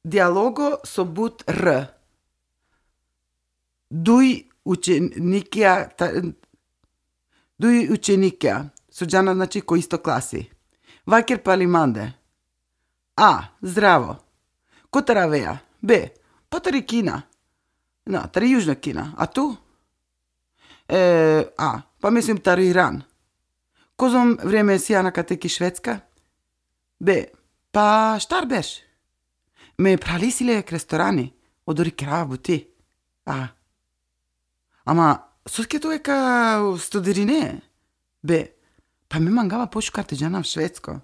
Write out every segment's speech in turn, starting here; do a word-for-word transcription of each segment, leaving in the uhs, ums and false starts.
dialogo so but R. Duj učenikja, ta, duj učenikja, so džana, znači, ko isto klasi. Vaker pali mande. A, zdravo. Kotar avea? B, pa tari Kina. Na, tari Južna Kina. A tu? E, A, pa mislim tari Iran. Kozom vreme sian akate ki Švedska? B, pa štar berš. Me phrali si le ek restorani, odori kerava buti. A. Ama, soske tu eka studirine? B, pa me mangava pošukar te džanav Švedsko.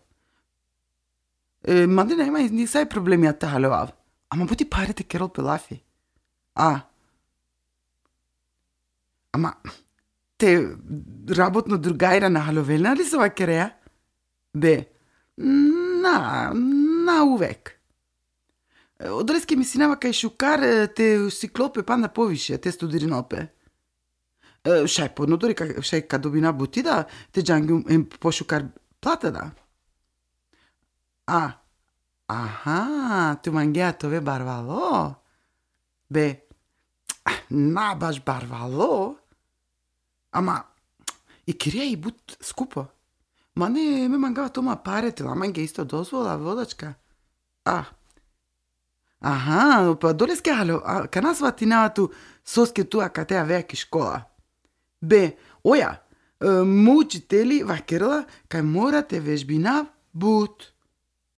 E, mande nema nisaj problemi te halovav. Ama buti pare te kerol pe lafi. A. Ama, te rabotno drugajra na halovelna li so vakerea? B, na, na uvek. E, odoleske mislinava kaj šukar, e, te siklol pe panda poviše, te studirinol pe. E, šaj po, no, odori ka, šaj ka dobina buti da te džangjum em pošukar plata da. A, aha, tu mangea te ove barvalo? B, na baš barvalo, ama i kirija i but skupo. Mane, me mangava te ova pare, te la mange isto dozvola, vodačka. A. Aha, pa odoleske halo, a, kana svatinava tu soske tu akate avea ki škola? B, oja, e, mo učiteli vakerela kaj mora te vežbinav but.